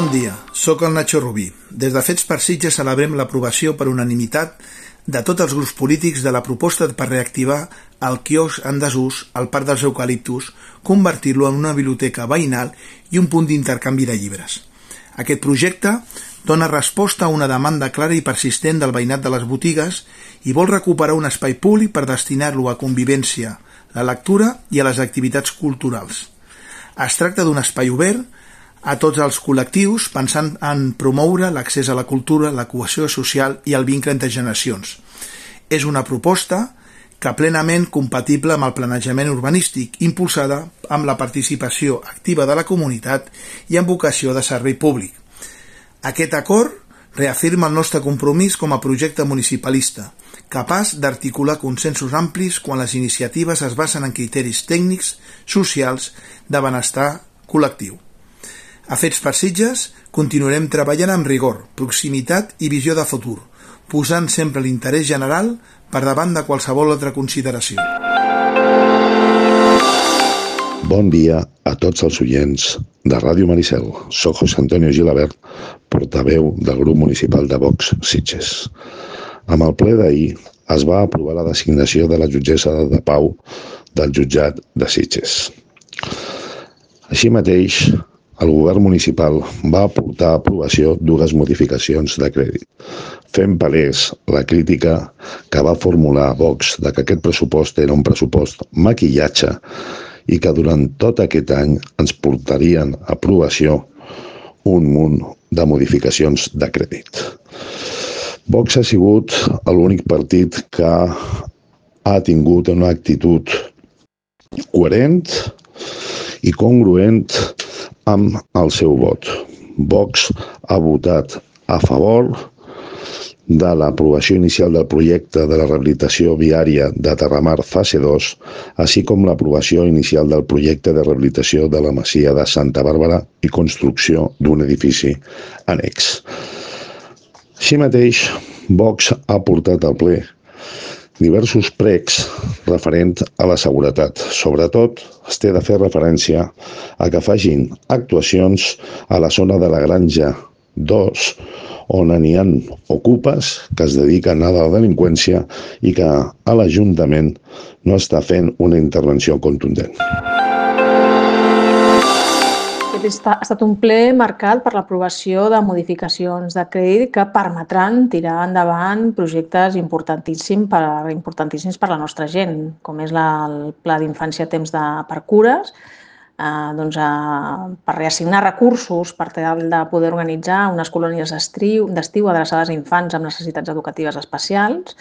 Bon dia, sóc el Nacho Rubí. Des de Fets per Sitges celebrem l'aprovació per unanimitat de tots els grups polítics de la proposta per reactivar el quiosc en desús al Parc dels Eucaliptus, convertir-lo en una biblioteca veïnal i un punt d'intercanvi de llibres. Aquest projecte dona resposta a una demanda clara i persistent del veïnat de les botigues i vol recuperar un espai públic per destinar-lo a convivència, la lectura i a les activitats culturals. Es tracta d'un espai obert a tots els col·lectius pensant en promoure l'accés a la cultura, la cohesió social i el vincle entre generacions. És una proposta que plenament compatible amb el planejament urbanístic, impulsada amb la participació activa de la comunitat i amb vocació de servei públic. Aquest acord reafirma el nostre compromís com a projecte municipalista, capaç d'articular consensos amplis quan les iniciatives es basen en criteris tècnics, socials, de benestar col·lectiu. A Fets per Sitges continuarem treballant amb rigor, proximitat i visió de futur, posant sempre l'interès general per davant de qualsevol altra consideració. Bon dia a tots els oients de Ràdio Maricel. Soc José Antonio Gilabert, portaveu del grup municipal de Vox Sitges. Amb el ple d'ahir es va aprovar la designació de la jutgessa de pau del jutjat de Sitges. Així mateix, el govern municipal va aportar a aprovació dues modificacions de crèdit, fent palès la crítica que va formular Vox de que aquest pressupost era un pressupost maquillatge i que durant tot aquest any ens portarien a aprovació un munt de modificacions de crèdit. Vox ha sigut l'únic partit que ha tingut una actitud coherent i congruent amb el seu vot. Vox ha votat a favor de l'aprovació inicial del projecte de la rehabilitació viària de Terramar fase 2, així com l'aprovació inicial del projecte de rehabilitació de la masia de Santa Bàrbara i construcció d'un edifici annex. Així mateix, Vox ha portat al ple diversos pregs referent a la seguretat. Sobretot, es té de fer referència a que facin actuacions a la zona de la Granja 2, on n'hi ha ocupes que es dediquen a la delinqüència i que a l'Ajuntament no està fent una intervenció contundent. Ha estat un ple marcat per l'aprovació de modificacions de crèdit que permetran tirar endavant projectes importantíssims per la nostra gent, com és el Pla d'Infància Temps per Cures, per reassignar recursos per tal de poder organitzar unes colònies d'estiu adreçades a infants amb necessitats educatives especials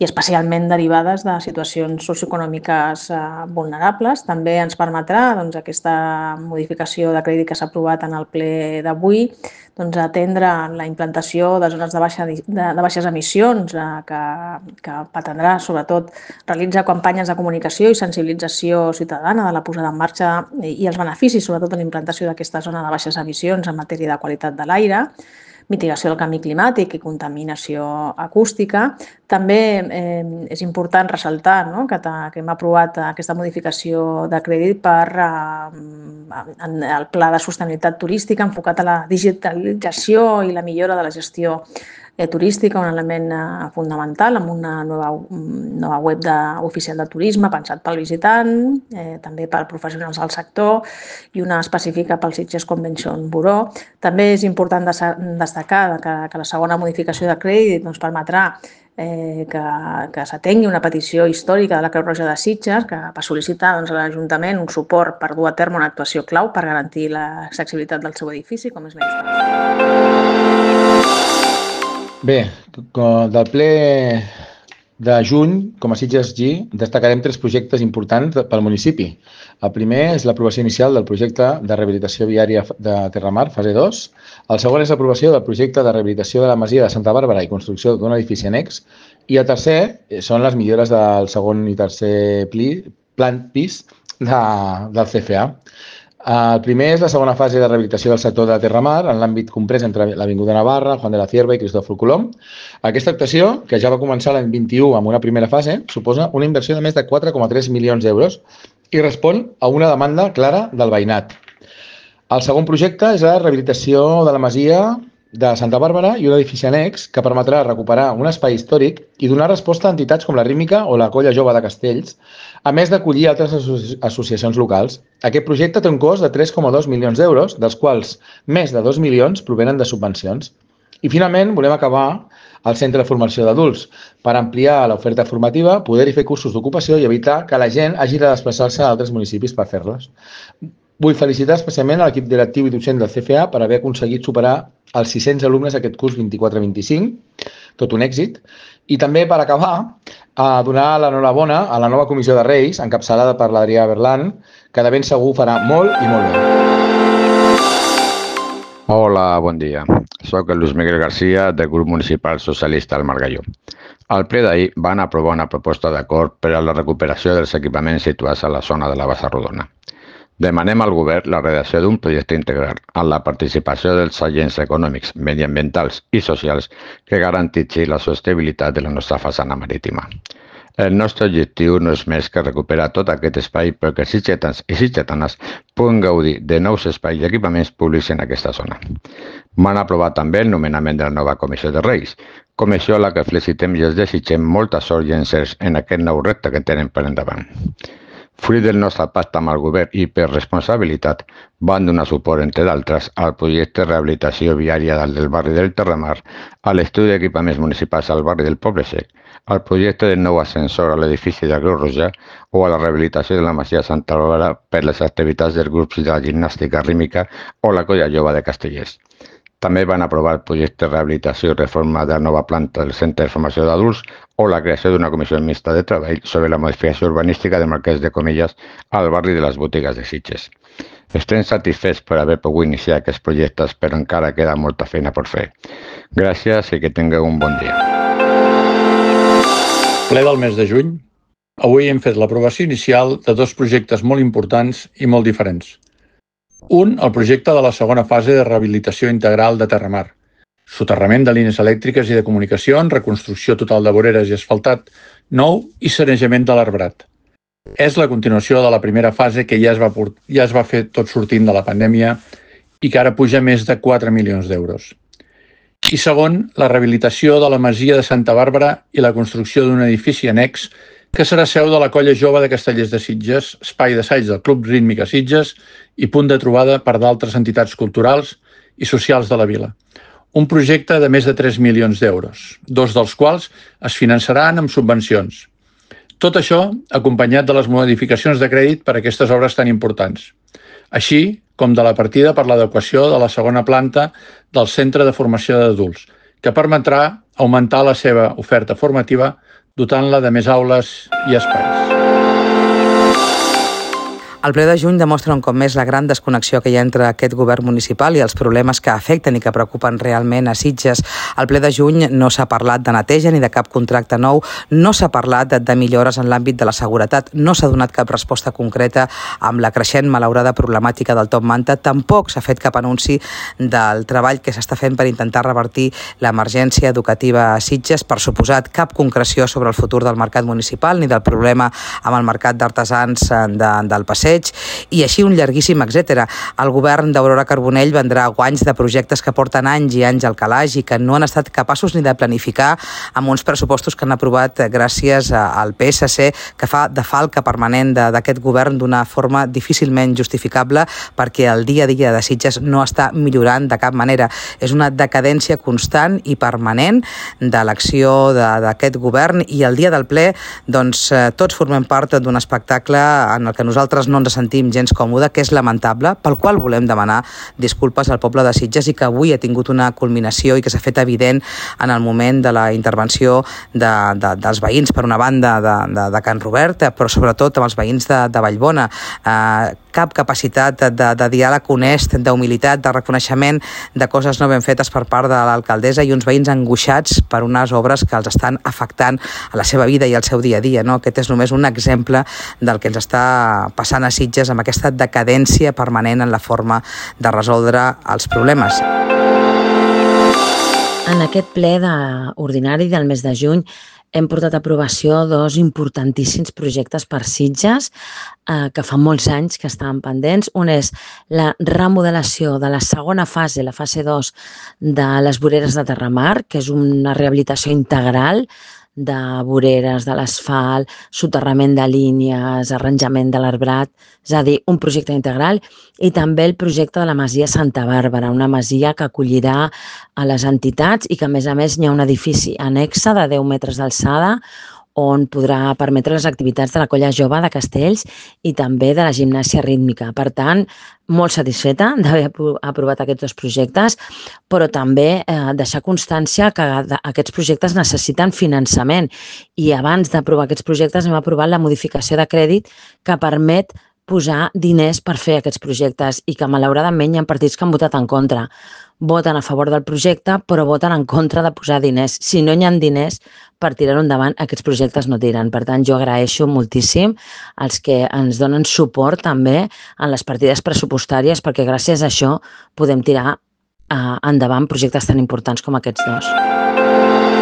i especialment derivades de situacions socioeconòmiques vulnerables. També ens permetrà aquesta modificació de crèdit que s'ha aprovat en el ple d'avui atendre la implantació de zones de baixes emissions que pretendrà, sobretot, realitzar campanyes de comunicació i sensibilització ciutadana de la posada en marxa i els beneficis, sobretot, de la implantació d'aquesta zona de baixes emissions en matèria de qualitat de l'aire, mitigació del canvi climàtic i contaminació acústica. També és important ressaltar que hem aprovat aquesta modificació de crèdit per el Pla de Sostenibilitat Turística enfocat a la digitalització i la millora de la gestió turística, un element fonamental, amb una nova web oficial de turisme pensat pel visitant, també per professionals del sector i una específica pel Sitges Convention Bureau. També és important destacar que la segona modificació de crèdit permetrà que s'atengui una petició històrica de la Creu Roja de Sitges que va sol·licitar a l'Ajuntament un suport per dur a terme una actuació clau per garantir l'accessibilitat del seu edifici, com és la instal·lació. Bé, del ple de juny, com a Sitges G, destacarem 3 projectes importants pel municipi. El primer és l'aprovació inicial del projecte de rehabilitació viària de Terramar, fase 2. El segon és l'aprovació del projecte de rehabilitació de la masia de Santa Bàrbara i construcció d'un edifici annex. I el tercer són les millores del segon i tercer pis del CFA. El primer és la segona fase de rehabilitació del sector de Terramar en l'àmbit comprès entre l'Avinguda Navarra, Juan de la Cierva i Cristòfol Colom. Aquesta actuació, que ja va començar l'any 21 amb una primera fase, suposa una inversió de més de 4,3 milions d'euros i respon a una demanda clara del veïnat. El segon projecte és la rehabilitació de la masia de Santa Bàrbara i un edifici annex que permetrà recuperar un espai històric i donar resposta a entitats com la Rítmica o la Colla Jove de Castells, a més d'acollir altres associacions locals. Aquest projecte té un cost de 3,2 milions d'euros, dels quals més de 2 milions provenen de subvencions. I finalment volem acabar al Centre de Formació d'Adults per ampliar l'oferta formativa, poder-hi fer cursos d'ocupació i evitar que la gent hagi de desplaçar-se a altres municipis per fer-los. Vull felicitar especialment a l'equip directiu i docent del CFA per haver aconseguit superar els 600 alumnes aquest curs 24-25, tot un èxit. I també, per acabar, donar l'enhorabona a la nova Comissió de Reis, encapçalada per l'Adrià Berlan, que de ben segur farà molt i molt bé. Hola, bon dia. Soc el Luis Miguel García, del grup municipal socialista del Margalló. Al ple d'ahir van aprovar una proposta d'acord per a la recuperació dels equipaments situats a la zona de la Bassa Rodona. Demanem al govern la redacció d'un projecte integral amb la participació dels agents econòmics, mediambientals i socials que garantitzi la sostenibilitat de la nostra façana marítima. El nostre objectiu no és més que recuperar tot aquest espai perquè els sitgetans i sitgetanes puguen gaudir de nous espais i equipaments públics en aquesta zona. Van aprovar també el nomenament de la nova Comissió de Reis, comissió a la que felicitem i els desitgem molta sort i encerts en aquest nou repte que tenen per endavant. Fruit del nostre pacte amb el govern i per responsabilitat, van donar suport, entre d'altres, al projecte de rehabilitació viària del barri del Terramar, a l'estudi d'equipaments municipals al barri del Poble Sec, al projecte del nou ascensor a l'edifici de Creu Roja o a la rehabilitació de la masia Santa Bàrbara per les activitats dels grups de la gimnàstica rítmica o la Colla Jove de Castellers. També van aprovar el projecte de rehabilitació i reforma de la nova planta del Centre de Formació d'Adults o la creació d'una comissió mixta de treball sobre la modificació urbanística de Marquès de Comillas al barri de les Botigues de Sitges. Estem satisfets per haver pogut iniciar aquests projectes, però encara queda molta feina per fer. Gràcies i que tingueu un bon dia. Ple del mes de juny, avui hem fet l'aprovació inicial de dos projectes molt importants i molt diferents. Un, el projecte de la segona fase de rehabilitació integral de Terramar. Soterrament de línies elèctriques i de comunicacions, reconstrucció total de voreres i asfaltat nou i sanejament de l'arbrat. És la continuació de la primera fase que ja es va fer tot sortint de la pandèmia i que ara puja més de 4 milions d'euros. I segon, la rehabilitació de la masia de Santa Bàrbara i la construcció d'un edifici annex que serà seu de la Colla Jove de Castellers de Sitges, espai d'assaig del Club Rítmica Sitges i punt de trobada per d'altres entitats culturals i socials de la vila. Un projecte de més de 3 milions d'euros, dos dels quals es finançaran amb subvencions. Tot això acompanyat de les modificacions de crèdit per a aquestes obres tan importants, així com de la partida per l'adequació de la segona planta del Centre de Formació d'Adults, que permetrà augmentar la seva oferta formativa dotant-la de més aules i espais. El ple de juny demostra un cop més la gran desconnexió que hi ha entre aquest govern municipal i els problemes que afecten i que preocupen realment a Sitges. Al ple de juny no s'ha parlat de neteja ni de cap contracte nou, no s'ha parlat de millores en l'àmbit de la seguretat, no s'ha donat cap resposta concreta amb la creixent malaurada problemàtica del Top Manta, tampoc s'ha fet cap anunci del treball que s'està fent per intentar revertir l'emergència educativa a Sitges, per suposat cap concreció sobre el futur del mercat municipal ni del problema amb el mercat d'artesans del Passeig, i així un llarguíssim etcètera. El govern d'Aurora Carbonell vendrà guanys de projectes que porten anys i anys al calaix i que no han estat capaços ni de planificar amb uns pressupostos que han aprovat gràcies al PSC, que fa de falca permanent d'aquest govern d'una forma difícilment justificable perquè el dia a dia de Sitges no està millorant de cap manera. És una decadència constant i permanent de l'acció d'aquest govern i el dia del ple doncs, tots formem part d'un espectacle en el que nosaltres no ens sentim gens còmode, que és lamentable, pel qual volem demanar disculpes al poble de Sitges i que avui ha tingut una culminació i que s'ha fet evident en el moment de la intervenció dels veïns, per una banda de Can Robert, però sobretot amb els veïns de Vallbona. Cap capacitat de diàleg honest, d'humilitat, de reconeixement de coses no ben fetes per part de l'alcaldessa i uns veïns angoixats per unes obres que els estan afectant a la seva vida i al seu dia a dia. Aquest és només un exemple del que ens està passant a Sitges amb aquesta decadència permanent en la forma de resoldre els problemes. En aquest ple ordinari del mes de juny hem portat a aprovació dos importantíssims projectes per Sitges que fa molts anys que estaven pendents. Un és la remodelació de la segona fase, la fase 2 de les voreres de Terramar, que és una rehabilitació integral de voreres, de l'asfalt, soterrament de línies, arranjament de l'arbrat, és a dir, un projecte integral, i també el projecte de la Masia Santa Bàrbara, una masia que acollirà a les entitats i que, a més, hi ha un edifici annexe de 10 metres d'alçada on podrà permetre les activitats de la Colla Jove de Castells i també de la gimnàsia rítmica. Per tant, molt satisfeta d'haver aprovat aquests dos projectes, però també deixar constància que aquests projectes necessiten finançament i abans d'aprovar aquests projectes hem aprovat la modificació de crèdit que permet posar diners per fer aquests projectes i que malauradament hi ha partits que han votat en contra. Voten a favor del projecte però voten en contra de posar diners. Si no hi ha diners per tirar-ho endavant, aquests projectes no tiren. Per tant, jo agraeixo moltíssim als que ens donen suport també en les partides pressupostàries perquè gràcies a això podem tirar endavant projectes tan importants com aquests dos.